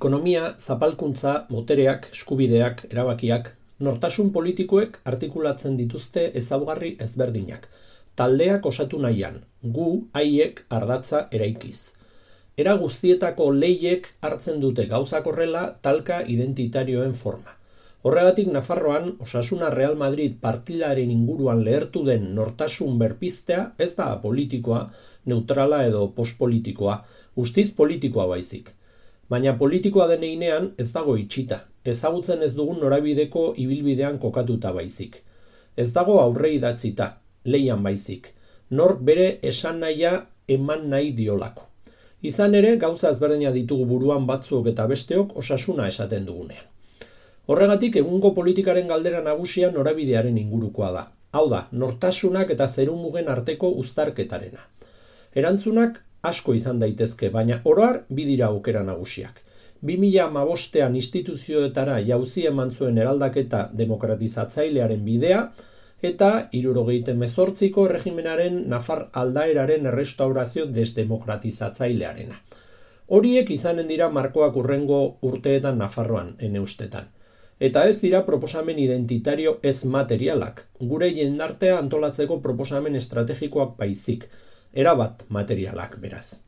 Ekonomia, zapalkuntza, botereak, eskubideak, erabakiak, nortasun politikoek artikulatzen dituzte ezaugarri ezberdinak. Taldeak osatu nahian, gu haiek ardatza eraikiz. Era guztietako lehiek hartzen dute gauzak horrela talka identitarioen forma. Horregatik Nafarroan Osasuna Real Madrid partidaren inguruan lehertu den nortasun berpiztea ez da politikoa, neutrala edo postpolitikoa, guztiz politikoa baizik. Baina politikoa den heinean ez dago itxita, ezagutzen ez dugun norabideko ibilbidean kokatuta baizik. Ez dago aurre idatzita, leian baizik, nork bere esan nahia eman nahi diolako. Izan ere, gauza ezberdina ditugu buruan batzuok eta besteok Osasuna esaten dugunean. Horregatik egungo politikaren galdera nagusia norabidearen ingurukoa da. Hau da, nortasunak eta zerumugen arteko uztarketarena. Erantzunak asko izan daitezke, baina oro har bi dira aukera nagusiak. 2015ean instituzioetara jauzi eman zuen eraldaketa demokratizatzailearen bidea eta 1978ko erregimenaren nafar aldaeraren errestaurazio desdemokratizatzailearena. Horiek izanen dira markoak hurrengo urteetan Nafarroan, ene ustetan. Eta ez dira proposamen identitario ez materialak, gure jendartea antolatzeko proposamen estrategikoak baizik, erabat materialak beraz.